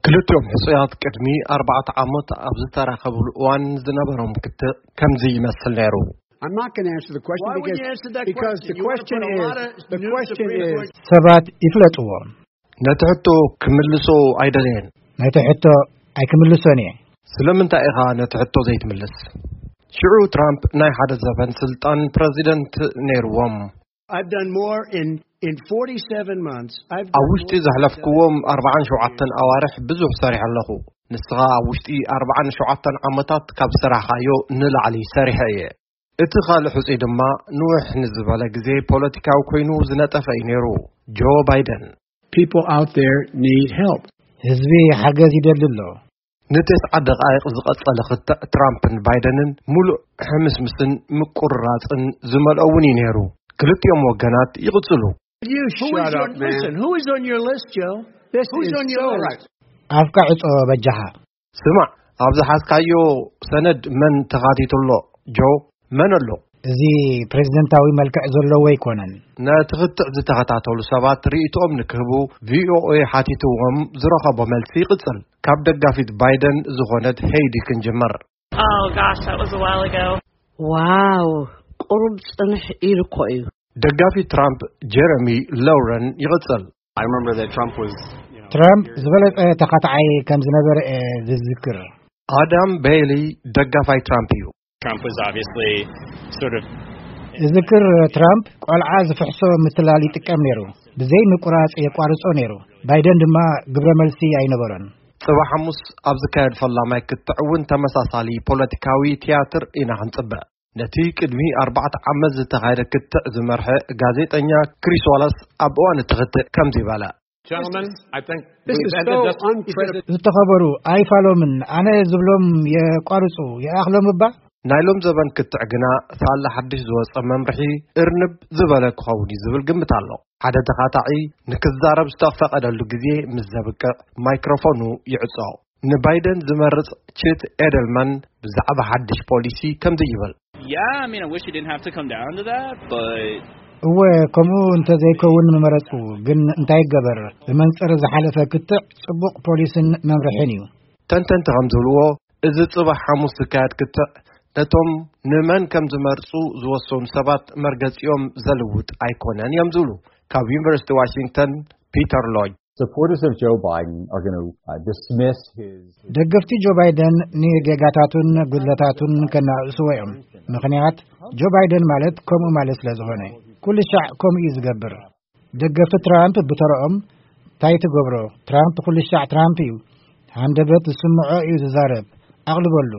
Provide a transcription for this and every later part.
ክልቲኦም ሕጹያት ቅድሚ ኣርባዕተ ዓመት ኣብ ዝተራኸብሉ እዋን ዝነበሮም ክትዕ ከምዚ ይመስል ነይሩ። I'm not going to answer the question. Why would because, you answer that because question? The You wanna question put a is lot of the new question Supreme is Court ሰባት ይፍለጥዎ። ነቲ ሕቶ ክምልሶ ኣይደለየን። ነቲ ሕቶ ኣይክምልሶን እየ። ስለምንታይ ኢኻ ነቲ ሕቶ ዘይትምልስ? ሽዑ ትራምፕ ናይ ሓደ ዘበን ስልጣን ፕረዚደንት ነይርዎም። I've done more in in forty-seven months. I've ኣብ done ውሽጢ more ዘሕለፍክዎም ኣርባዓን ሸውዓተን ኣዋርሕ ብዙሕ ሰሪሐ ኣለኹ። ንስኻ ኣብ ውሽጢ ኣርባዓን ሸውዓተን ዓመታት ካብ ዝሰራሕካዮ ንላዕሊ ሰሪሐ እየ። እቲ ካልእ ሕጹይ ድማ ንውሕ ንዝበለ ግዜ ፖለቲካዊ ኮይኑ ዝነጠፈ እዩ ነይሩ። ጆ ባይደን። People out there need help. ህዝቢ ሓገዝ ይደሊ ኣሎ። ንተስዓ ደቓይቕ ዝቐጸለ ክትዕ ትራምፕን ባይደንን ሙሉእ ሕምስምስን ምቁርራጽን ዝመልኦ እውን እዩ ነይሩ። ክልቲኦም ወገናት ይቕጽሉ። You Who is shut on, up, man. Listen, who is on your list, Joe? This Who's is on your so list? Right. ኣፍካ ዕጾ በጃኻ። ስማዕ፣ ኣብ ዝሓዝካዮ ሰነድ መን ተኻቲቱ ኣሎ? ጆ፣ መን ኣሎ? እዚ ፕሬዝደንታዊ መልክዕ ዘለዎ ኣይኮነን። ነቲ ክትዕ ዝተኸታተሉ ሰባት ርእይቶኦም ንክህቡ ቪኦኤ ሓቲትዎም ዝረኸቦ መልሲ ይቕጽል። ካብ ደጋፊት ባይደን ዝኾነት ሄይዲ ክንጅምር። Oh gosh, that was a while ago. ዋው፣ ቁሩብ ጽንሕ ኢሉ እኮ እዩ። ደጋፊ ትራምፕ ጀረሚ ሎረን ይቕጽል። I remember that Trump was, you know, ትራምፕ ዝበለጸ ተኻትዓይ ከም ዝነበረ እየ ዝዝክር። ኣዳም ቤይሊ ደጋፋይ ትራምፕ እዩ። Trump was obviously sort of እዝክር ትራምፕ ቆልዓ ዝፍሕሶ ምትላል ይጥቀም ነይሩ። ብዘይ ምቁራጽ የቋርጾ ነይሩ። ባይደን ድማ ግብረ መልሲ ኣይነበሮን። ጽባሕ ሓሙስ ኣብ ዝካየድ ፈላማይ ክትዕ እውን ተመሳሳሊ ፖለቲካዊ ትያትር ኢና ክንጽበ። ነቲ ቅድሚ ኣርባዕተ ዓመት ዝተኻየደ ክትዕ ዝመርሐ ጋዜጠኛ ክሪስ ዋላስ ኣብ እዋን እቲ ክትዕ ከምዚ በለ። Gentlemen, I think This we've is ended so this. Unprecedented. ዝተኸበሩ ኣይፋሎምን፣ ኣነ ዝብሎም የቋርጹ፣ ይኣኽሎም እባ። ናይ ሎም ዘበን ክትዕ ግና ሳላ ሓድሽ ዝወጸ መምርሒ እርንብ ዝበለ ክኸውን እዩ ዝብል ግምት ኣሎ። ሓደ ተኻታዒ ንክዛረብ ዝተፈቐደሉ ግዜ ምስ ዘብቅዕ ማይክሮፎኑ ይዕጾ። ንባይደን ዝመርጽ ችት ኤደልማን ብዛዕባ ሓድሽ ፖሊሲ ከምዚ ይብል። Yeah, I mean, I wish it didn't have to come down to that, but እወ፣ ከምኡ እንተዘይከውን ምመረጽኩ። ግን እንታይ ይገበር፣ ብመንጽር ዝሓለፈ ክትዕ ጽቡቕ ፖሊስን መምርሕን እዩ። ተንተንቲ ከም ዝብልዎ፣ እዚ ጽባሕ ሓሙስ ዝካየድ ክትዕ ነቶም ንመን ከም ዝመርጹ ዝወሰኑ ሰባት መርገጺኦም ዘልውጥ ኣይኮነን እዮም ዝብሉ ካብ ዩኒቨርሲቲ ዋሽንግተን ፒተር ሎጅ። Supporters of Joe Biden are going to uh, dismiss his ደገፍቲ ጆ ባይደን ንጌጋታቱን ጉድለታቱን ከናእስዎ እዮም። ምኽንያት፣ ጆ ባይደን ማለት ከምኡ ማለት ስለ ዝኾነ፣ ኩሉ ሻዕ ከምኡ እዩ ዝገብር። ደገፍቲ ትራምፕ ብተረኦም፣ እንታይ ትገብሮ? ትራምፕ ኩሉ ሻዕ ትራምፕ እዩ። ሃንደበት ዝስምዖ እዩ ዝዛረብ። ኣቕልበሉ።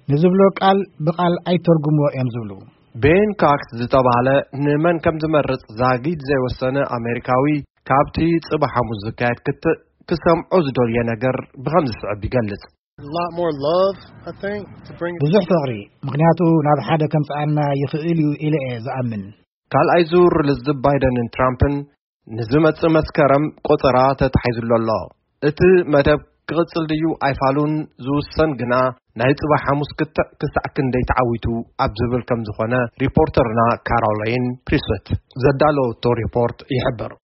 ንዝብሎ ቃል ብቓል ኣይተርጉምዎ እዮም ዝብሉ። ቤን ካክስ ዝተባህለ ንመን ከም ዝመርጽ ዛጊድ ዘይወሰነ ኣሜሪካዊ፣ ካብቲ ጽባሕ ሓሙስ ዝካየድ ክትዕ ክሰምዖ ዝደልዮ ነገር ብኸም ዝስዕብ ይገልጽ። A lot more love, I think, to bring ብዙሕ ፍቕሪ፣ ምኽንያቱ ናብ ሓደ ከምጽኣና ይኽእል እዩ ኢለ እየ ዝኣምን። ካልኣይ ዙር ልዝብ ባይደንን ትራምፕን ንዝመጽእ መስከረም ቆጸራ ተታሒዙሉ ኣሎ። እቲ መደብ ክቕጽል ድዩ ኣይፋሉን ዝውሰን ግና ናይ ጽባሕ ሓሙስ ክትዕ ክሳዕ ክንደይ ተዓዊቱ ኣብ ዝብል ከም ዝኾነ ሪፖርተርና ካሮላይን ፕሪስት ዘዳለወቶ ሪፖርት ይሕብር።